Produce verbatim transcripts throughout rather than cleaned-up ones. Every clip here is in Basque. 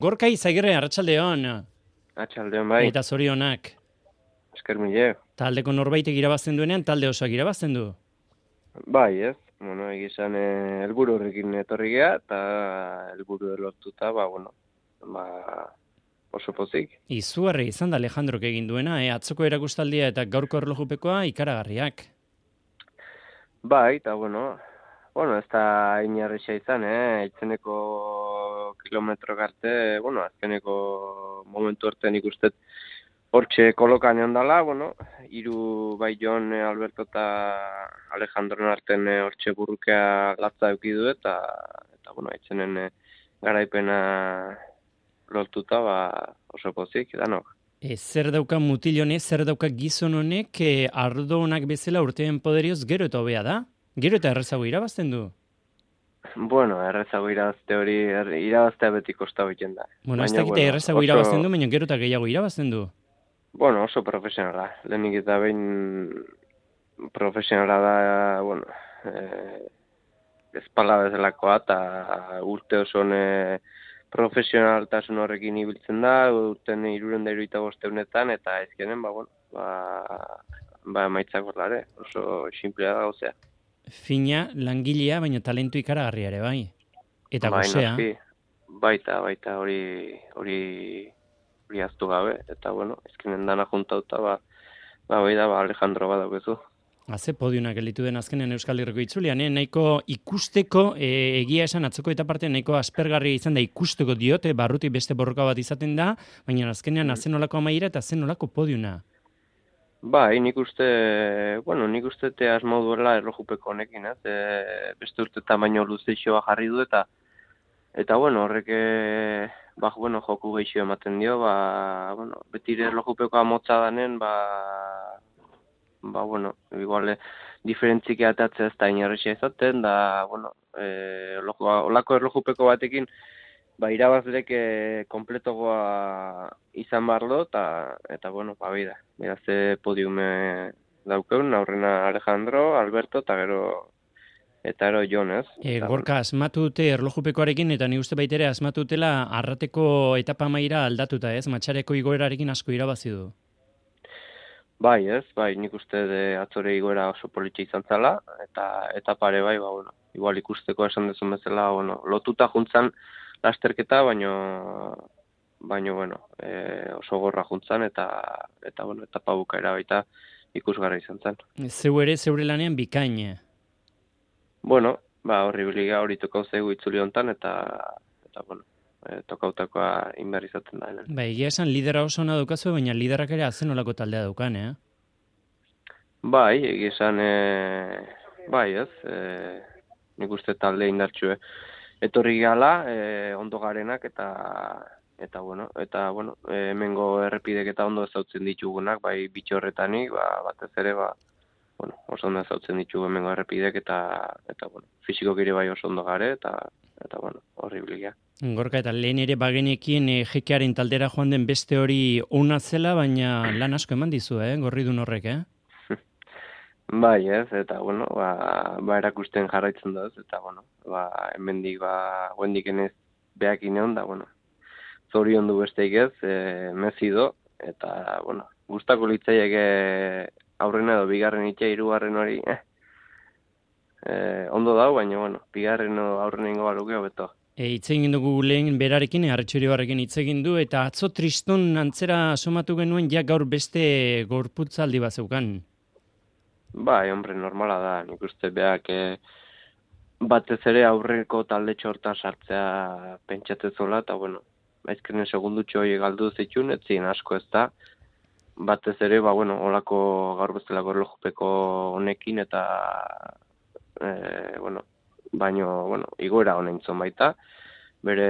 Gorka Izagirre, arratsaldeon. Arratsaldeon bai. Eta zorionak. Esker mile. Taldeko norbaitek irabazten duenean, talde osoak irabazten du. Bai, ez. Bueno, egizan eh, helburu horrekin etorri gea, eta helburu lortuta, ba, bueno, ba, oso pozik. Izugarri izan da Alejandrok egin duena, eh? Atzoko erakustaldia eta gaurko erlojupekoa ikaragarriak. Bai, eta bueno, bueno, ez da inarrisa izan, eh? Itzeneko kilometro arte, bueno, azkeneko momentu arte nik ustet hortxe kolokan egon dala, bueno, hiru bai Jon, Alberto eta Alejandron arten hortxe burrukea latza eukidu eta, eta bueno, itzenen eh, garaipena lortuta, ba, oso pozik, danok. E, zer dauka mutil honek, zer dauka gizon honek, e, ardo honak bezala urteen poderioz gero eta hobea da? Gero eta errezago irabazten du? Bueno, errezago irabazte hori, er, irabaztea beti kosta egiten da. Bueno, ez Baina, dakite bueno, errezago oso- irabazten du, baina gero eta gehiago irabazten du. Bueno, oso profesionala. Lehenik eta behin profesionala da, bueno, eh, ezpala bezalakoa, eta urte oso ne profesionaltasun horrekin ibiltzen da, urten iruren da iruita bosteunetan, eta ezkenen, ba, bueno, ba, ba maitzak horlare, oso simplea da gauzea. Fina, langilea, baina talentu ikaragarria ere, bai. Eta Bai, gozea. noski, baita, baita, hori, hori, hori aztu gabe, eta, bueno, ezkenen dana juntauta, ba, ba, bai da, ba, Alejandro badaukezu. Haze podiunak elitu den azkenen Euskal Herriko itzulian, eh? Nahiko ikusteko, e, egia esan atzoko eta parte nahiko aspergarria izan da ikusteko diote, barruti beste borroka bat izaten da, baina azkenean Mm. azen nolako amaiera eta azen nolako podiuna. Bai, nik uste, bueno, nik uste te asmau duela erlojupeko honekin, ez? E, beste urte tamaino luzeixoa jarri du eta, eta bueno, horrek, e, ba, bueno, joku geixio ematen dio, ba, bueno, betire erlojupekoa motza danen, ba, ba, bueno, igual, diferentzik atatzea ez da inerrexia izaten, da, bueno, e, olako erlojupeko batekin, ba, irabazlek e, kompletogoa izan barlo, eta, eta bueno, ba, bida, bida ze podiume daukeun, aurrena Alejandro, Alberto, eta gero, eta gero Jon, ez? E, Eta, gorka asmatu dute erlojupekoarekin eta ni uste baitere asmatu dutela arrateko etapa maira aldatuta, ez? Matxareko igoerarekin asko irabazi du. bai, ez, bai, nik uste de atzore igoera oso politxe izan zala, eta, eta pare bai, ba, bueno, igual ikusteko esan dezun bezala, bueno, lotuta juntzan lasterketa, baino, baino, bueno, e, oso gorra juntzan, eta, eta, bueno, etapa bukaera baita ikusgarra izan zen. Zeu ere, zeure lanean bikain. Bueno, ba, horri biliga hori tokau zaigu itzuli hontan, eta, eta bueno, e, tokautakoa inber izaten da. Hemen. Ba, egia esan lidera oso ona daukazu, baina liderak ere azen nolako taldea daukan, eh? Bai, egia esan, e, bai ez, e, nik uste talde indartxue. Etorri gala, e, ondo garenak, eta, eta bueno, eta, bueno, e, hemengo errepidek eta ondo ezautzen ditugunak, bai bitxorretanik, ba, batez ere, ba, bueno, oso ondo ezautzen ditugu hemengo errepidek, eta, eta bueno, fisiko gire bai oso ondo gare, eta, eta bueno, horribilia. Gorka, eta lehen ere bagenekien e, jekearen taldera joan den beste hori ona zela, baina lan asko eman dizu, eh? Gorridun horrek, eh? Bai, ez, eta, bueno, ba, ba erakusten jarraitzen da, ez, eta, bueno, ba, hemendik, ba, guendik enez behak ineon, da, bueno, zorion du besteik ez, e, mezido, eta, bueno, gustako litzaiek aurrena edo bigarren itxea, hirugarren hori, eh, e, ondo dau, baina, bueno, bigarren edo aurrena ingo baluke hobeto. E, hitz egin dugu lehen berarekin, Arretxorioarrekin hitz egin du, eta atzo triston antzera somatu genuen ja gaur beste gorputzaldi bat zeukan. Bai, hombre, normala da, nik uste behak e, batez ere aurreko talde txortan sartzea pentsatzezola, eta, bueno, aizkenen segundutxo hori galdu zituen, ez ziren asko ez da, batez ere, ba, bueno, olako gaur bezalako erlojupeko honekin, eta, e, bueno, baino, bueno, igoera honen zon baita, bere,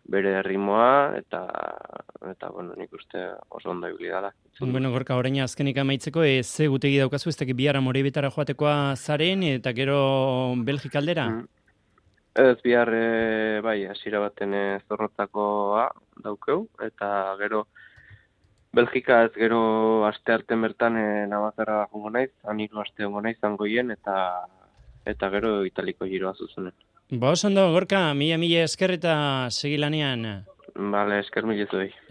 bere ritmoa, eta, eta, bueno, nik uste oso ondo ibili dala. Bueno, Gorka, orain azkenik amaitzeko, e, ze gutegi daukazu, ez dakit bihar Amorebetara joatekoa zaren, eta gero Belgika aldera? Mm. Ez bihar, e, bai, hasiera baten e, zorrotzakoa daukeu, eta gero Belgika ez gero aste arten bertan e, Navazarra jongo naiz, han hiru aste jongo naiz zangoien, eta eta gero Italiko giroa zuzenen. Ba, oso ondo, Gorka, mila mila esker eta segi lanean. Bale, esker milezuei.